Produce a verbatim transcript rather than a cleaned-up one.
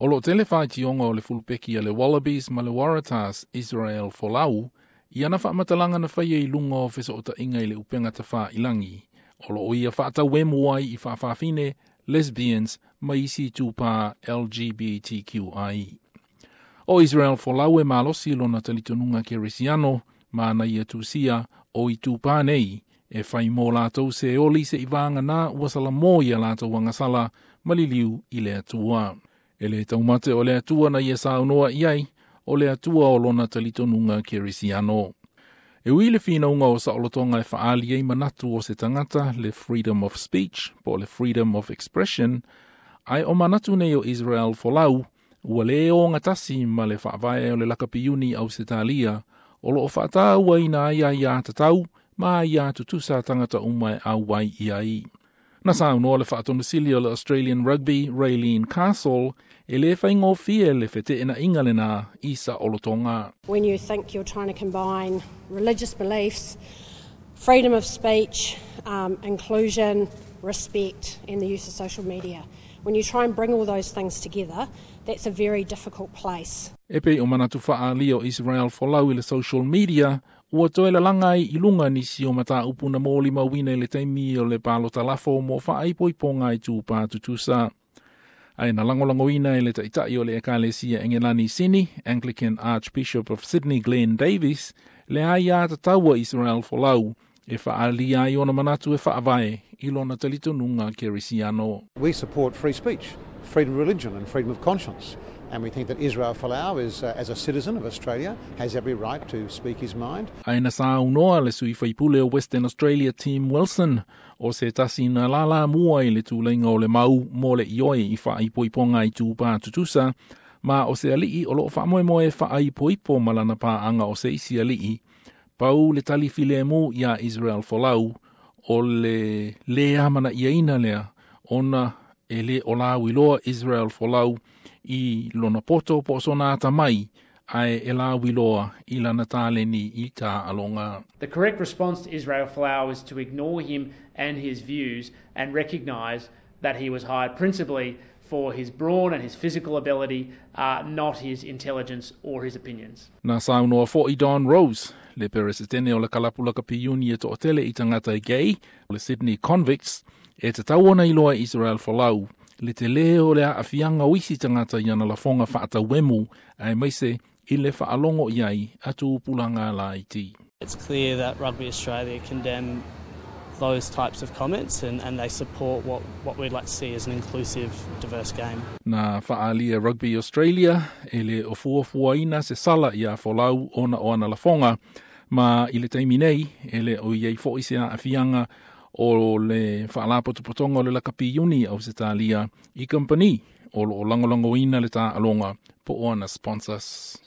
O lo tele whaitioga o le fulupeki a le Wallabies ma le Waratahs Israel Folau, i ana whaamatalaga na whaia i lunga o fesootaiga i le upega tafailagi. O lo o ia whaatauemu ai i faafafine, lesbians, ma isi tupā L G B T Q I. O Israel Folau e malosi lona talitonuga kerisiano, ma na ia tusia o i tupā nei, e whai mō lātou se oli se i vāngana ua sala mō ia lātou agasala maliliu i le Atua. E le taumate o le Atua na ia saunoa i ai, o le Atua o lona talitonuga kerisiano. E ui le finauga o saolotoga e faaali ai manatu o se tagata, le freedom of speech, po o le freedom of expression, ae o manatu nei o Israel Folau, ua le ogatasi ma le faavae o le lakapi Ausetalia, o lo o faatauaina ai aiatatau ma aiā tutusa tagata uma e auai i ai. Na saunoa le faatonusili o le Australian Rugby, Raelene Castle, e le faigofie le feteenaiga lena i saolotoga. When you think you're trying to combine religious beliefs, freedom of speech, um, inclusion, respect, and the use of social media. When you try and bring all those things together, that's a very difficult place. E pei o manatu faaali o Israel Folau i le social media, ua toe lalaga ai i luga nisi o mataupu na molimauina i le taimi o le palota lafo mo faaipoipoga i tupā tutusa. Ae na lagolagoina e le taitai o le Ekalesia Engelani Sini, Anglican Archbishop of Sydney Glenn Davis, le aiatatau a Israel Folau, e faaalia ai ona manatu e faavae i lona talitonuga kerisiano. We support free speech, freedom of religion and freedom of conscience. And we think that Israel Folau is, uh, as a citizen of Australia, has every right to speak his mind. Ae na saunoa le sui faipule o Western Australia Tim Wilson, o se tasi na lala mua i le tūleiga o le mau mo le ioe i faaipoipoga i tupā tutusa, ma o se alii o loo faamoemoe e faaipoipo ma lana paaga o se isi alii. Pau le tali filemu ia Israel Folau, o le le amanaiaina lea, ona e le o lauiloa Israel Folau i lona poto po o sona atamai, ae e lauiloa i lana taleni i taaloga. The correct response to Israel Folau is to ignore him and his views and recognise that he was hired principally for his brawn and his physical ability, uh, not his intelligence or his opinions. Na saunoa fo'i Don Rose, le peresetene o le kalapu lakapi e to'atele i tagata gay, le Sydney Convicts, e tatau ona iloa Israel Folau, le tele o le aafiaga o isi tagata i ana lafoga faatauemu, aemaise i le faalogo i ai a tupulaga laiti. It's clear that Rugby Australia condemn those types of comments and, and they support what, what we'd like to see as an inclusive, diverse game. Na faaalia Rugby Australia e le o fuafuaina se sala ia Folau ona o ana lafoga, ma i le taimi nei e le o iai fo'i se aafiaga o le faalapotopotoga o le lakapi iuni Ausetalia i kampani o lo o lagolagoina le taaloga po o ana sponsors.